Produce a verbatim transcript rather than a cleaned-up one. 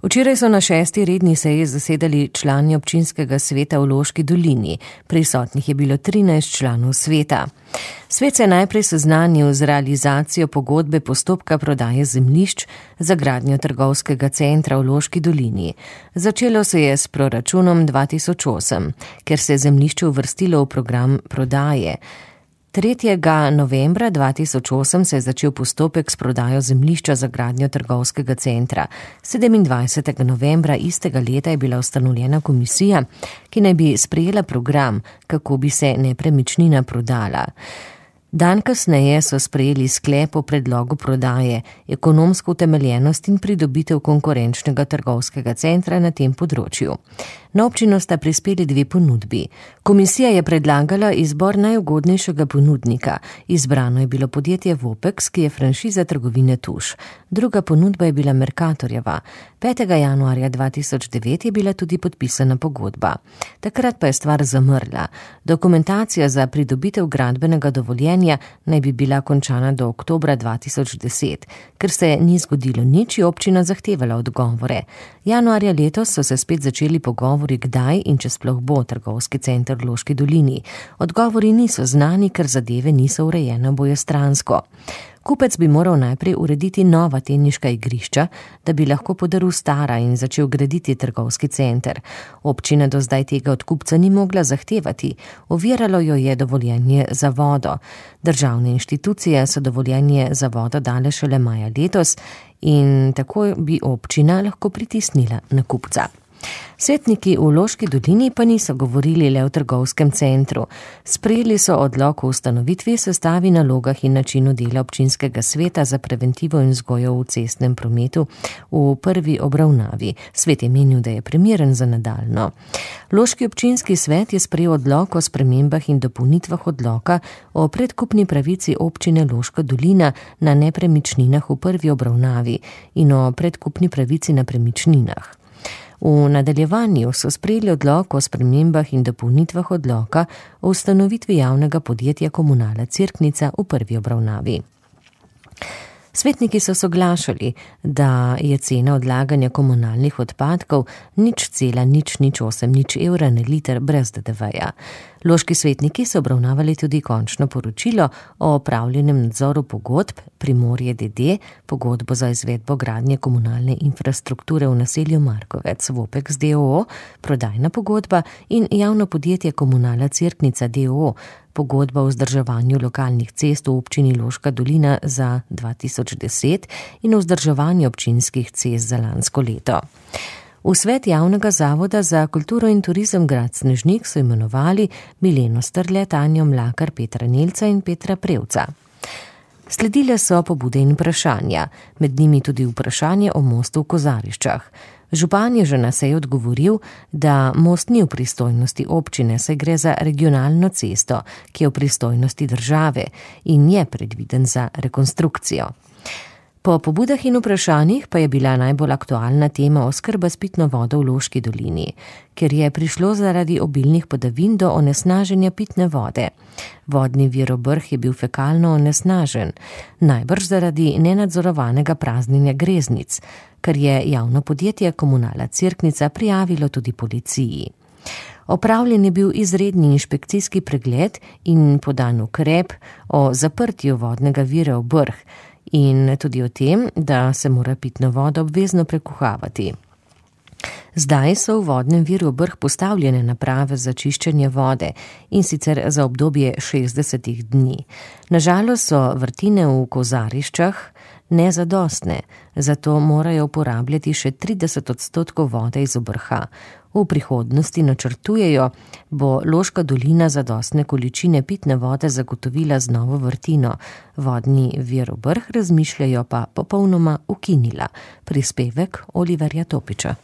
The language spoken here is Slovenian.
Včeraj so na šesti redni seji zasedali člani občinskega sveta v Loški dolini. Prisotnih je bilo trinajst članov sveta. Svet se je najprej seznanil z realizacijo pogodbe postopka prodaje zemljišč za gradnjo trgovskega centra v Loški dolini. Začelo se je s proračunom dva tisoč osem, ker se je zemljišče uvrstilo v program prodaje. tretjega novembra dva tisoč osem se je začel postopek s prodajo zemljišča za gradnjo trgovskega centra. sedemindvajsetega novembra istega leta je bila ustanovljena komisija, ki naj bi sprejela program, kako bi se nepremičnina prodala. Dan kasneje so sprejeli sklep o predlogu prodaje, ekonomsko utemeljenost in pridobitev konkurenčnega trgovskega centra na tem področju. Na občino sta prispeli dve ponudbi. Komisija je predlagala izbor najugodnejšega ponudnika. Izbrano je bilo podjetje Vopex, ki je franšiza trgovine Tuš. Druga ponudba je bila Mercatorjeva. petega januarja dva tisoč devet je bila tudi podpisana pogodba. Takrat pa je stvar zamrla. Dokumentacija za pridobitev gradbenega dovoljenja naj bi bila končana do oktobra dva tisoč deset. Ker se ni zgodilo nič, je občina zahtevala odgovore. Januarja letos so se spet začeli pogovori, kdaj in če sploh bo trgovski center v Loški dolini. Odgovori niso znani, ker zadeve niso urejene obojestransko. Kupec bi moral najprej urediti nova teniška igrišča, da bi lahko podaril stara in začel graditi trgovski center. Občina do zdaj tega od kupca ni mogla zahtevati. Oviralo jo je dovoljenje za vodo. Državne inštitucije so dovoljenje za vodo dale šele maja letos in tako bi občina lahko pritisnila na kupca. Svetniki v Loški dolini pa niso govorili le o trgovskem centru. Sprejeli so odlok o ustanovitvi, sestavi, nalogah in načinu dela občinskega sveta za preventivo in vzgojo v cestnem prometu v prvi obravnavi. Svet je menil, da je primeren za nadaljno. Loški občinski svet je sprejel odlok o spremembah in dopolnitvah odloka o predkupni pravici občine Loška dolina na nepremičninah v prvi obravnavi in o predkupni pravici na premičninah. V nadaljevanju so sprejeli odlok o spremembah in dopolnitvah odloka o ustanovitvi javnega podjetja Komunala Cerknica v prvi obravnavi. Svetniki so soglašali, da je cena odlaganja komunalnih odpadkov nič cela nič nič osem nič evra na liter brez D D V-ja. Loški svetniki so obravnavali tudi končno poročilo o opravljenem nadzoru pogodb Primorje D D, pogodbo za izvedbo gradnje komunalne infrastrukture v naselju Markovec, Vopex D O O, prodajna pogodba in javno podjetje Komunala Cerknica D O O, pogodba o vzdrževanju lokalnih cest v občini Loška dolina za dva tisoč deset in o vzdrževanju občinskih cest za lansko leto. V svet javnega zavoda za kulturo in turizem grad Snežnik so imenovali Mileno Strle, Tanjo Mlakar, Petra Nelca in Petra Prevca. Sledile so pobude in vprašanja, med njimi tudi vprašanje o mostu v Kozariščah. Župan je že na seji odgovoril, da most ni v pristojnosti občine, saj gre za regionalno cesto, ki je v pristojnosti države in je predviden za rekonstrukcijo. Po pobudah in vprašanjih pa je bila najbolj aktualna tema oskrba s pitno vodo v Loški dolini, ker je prišlo zaradi obilnih padavin do onesnaženja pitne vode. Vodni vir Obrh je bil fekalno onesnažen, najbrž zaradi nenadzorovanega praznjenja greznic, kar je javno podjetje Komunala Cerknica prijavilo tudi policiji. Opravljen je bil izredni inšpekcijski pregled in podan ukrep o zaprtju vodnega vira Obrh, in tudi o tem, da se mora pitna voda obvezno prekuhavati. Zdaj so v vodnem viru Obrh postavljene naprave za čiščenje vode in sicer za obdobje šestdesetih dni. Nažalost so vrtine v Kozariščah nezadostne, zato morajo uporabljati še trideset odstotkov vode iz Obrha. V prihodnosti načrtujejo, bo Loška dolina zadostne količine pitne vode zagotovila z novo vrtino. Vodni vir Obrh razmišljajo pa popolnoma ukinila. Prispevek Oliverja Topiča.